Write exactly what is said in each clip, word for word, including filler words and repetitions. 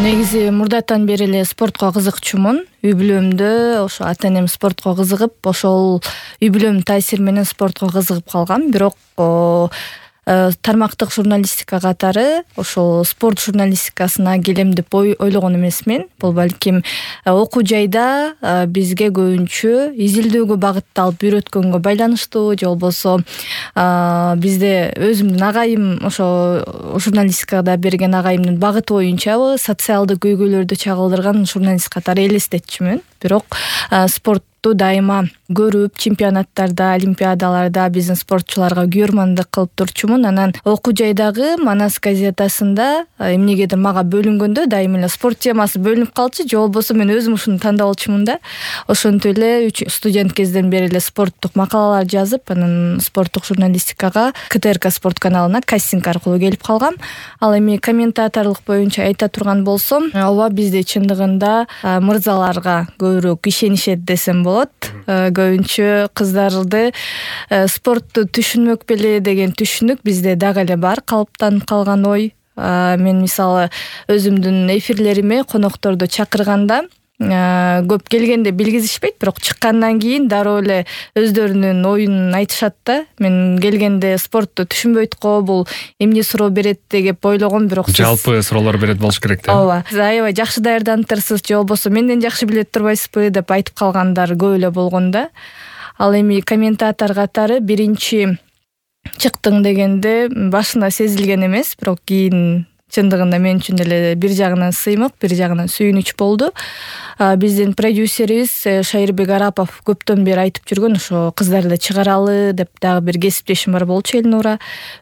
Негизи мурдатан бери эле спортко кызыкчумун. Үй бүлөмдө ошо ата-энем спортко кызыгып, ошол үй бүлөмдүн таасири менен спортко кызыгып калгам. Бирок тармактык журналистика катары ошол спорт журналистикасына келем деп ойлогон эмесмин. Бул балким окуу жайда бизге көбүнчө изилдөөгө багытталып үйрөткөнгө байланыштуу, же болбосо бизде өзүмдүн агайым ошо журналистикада берген агайымдын багыты боюнчабы социалдык көйгөйлөрдү чагылдырган журналист катары элестетчүмүн. Бирок спортту дайыма көрүп, чемпионаттарда, олимпиадаларда биздин спортчуларга күйөрмандык кылып турчумун. Анан окуу жайдагы Манас газетасында эмнегедир мага бөлүнгөндө дайыма эле спорт темасы бөлүнүп калчу, же болбосо мен өзүм ушуну тандап алчумун да. Ошентип эле студент кезден бери эле спорттук макалалар жазып, анан спорттук журналистикага ка тэ эр ка спорт каналына кастинг аркылуу келип калгам. Ал эми комментаторлук боюнча айта турган болсом, ооба бизде чындыгында мырзаларга көбүрөөк ишенишет десем болот. Көбүнчө кыздарды спортту түшүнмөк беле деген түшүнүк бизде дагы эле бар, калыптанып калган ой. Мен мисалы өзүмдүн эфирлериме конокторду чакырганда көп келгенде билгизишпейт, бирок чыккандан кийин дароо эле өздөрүнүн оюн айтышат да. Мен келгенде спортту түшүнбөйт го, бул эмне суроо берет деп ойлогом, бирок жалпы суроолор берет болуш керек да. Ооба. Сиз аябай жакшы даярданыптырсыз, же болбосо менден жакшы билет турбайсызбы деп айтып калгандар көп эле болгон да. Ал эми комментатор катары биринчи чыктың дегенде башында сезилген эмес, бирок кийин чындыгында мен үчүн эле бир жагынан сыймык, бир жагынан сүйүнүч болду. Биздин продюсерибиз Шайырбек Арапов көптөн бери айтып жүргөн, ошо кыздарды чыгаралы деп дагы бир кесиптешим бар болчу, Элнура.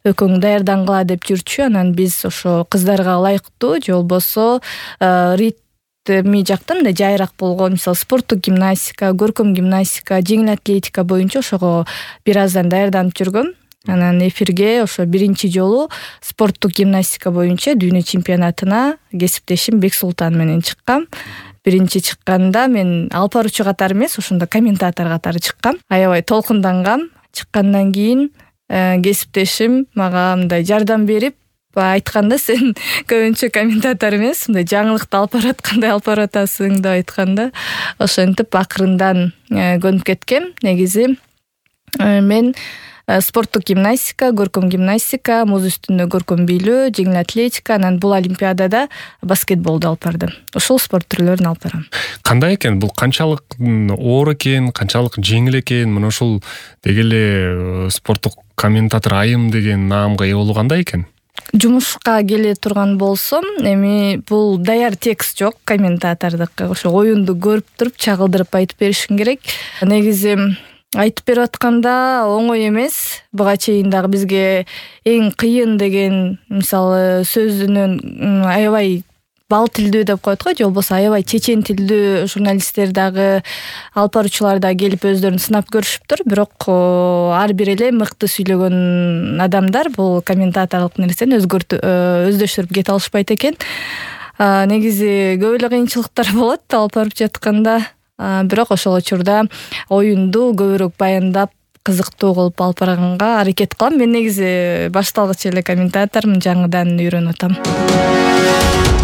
Экөөң даярдангыла деп жүрчү. Анан биз ошо кыздарга ылайыктуу, же болбосо ритми жактан да жайыраак болгон, мисалы спорттук гимнастика, көркөм гимнастика, жеңил атлетика боюнча ошого бир аздан даярданып жүргөм. Анан эфирге ошо биринчи жолу спорттук гимнастика боюнча дүйнө чемпионатына кесиптешим Бексултан менен чыккам. Биринчи чыкканда мен алып баруучу катары эмес, ошондо комментатор катары чыккам. Аябай толкундангам. Чыккандан кийин кесиптешим мага мындай жардам берип айтканда, сен көбүнчө комментатор эмес, мындай жаңылыкты алып бараткандай алып баратасың деп айтканда, ошентип акырындан көнүп кеткем. Негизи мен спорттук гимнастика, көркөм гимнастика, муз үстүндө көркөм бийлөө, жеңил атлетика, анан бул олимпиадада баскетболду алып бардым. Ошол спорт түрлөрүн алып барам. Кандай экен? Бул канчалык оор экен, канчалык жеңил экен? Мына ушул деги эле спорттук комментатор айым деген наамга ээ болуу кандай экен? Жумушка келе турган болсом, эми бул даяр текст жок комментатордук. Ошо оюнду көрүп туруп чагылдырып айтып беришиң керек. Негизи айтып берип атканда оңой эмес. Буга чейин дагы бизге эң кыйын деген, мисалы, сөзүнөн аябай бал тилдүү деп коет го, же болбосо аябай чечен тилдүү журналисттер дагы, алып баруучулар да келип өздөрүн сынап көрүшүптүр. Бирок ар бир эле мыкты сүйлөгөн адамдар бул комментаторлук нерсени өздөштүрүп кете алышпайт экен. Негизи көп эле кыйынчылыктар болот алып барып жатканда. Бирок ошол учурда оюнду көбүрөөк баяндап, кызыктуу кылып алып барганга аракет кылам. Мен негизи башталгыч эле комментатормун, жаңыдан үйрөнүп атам.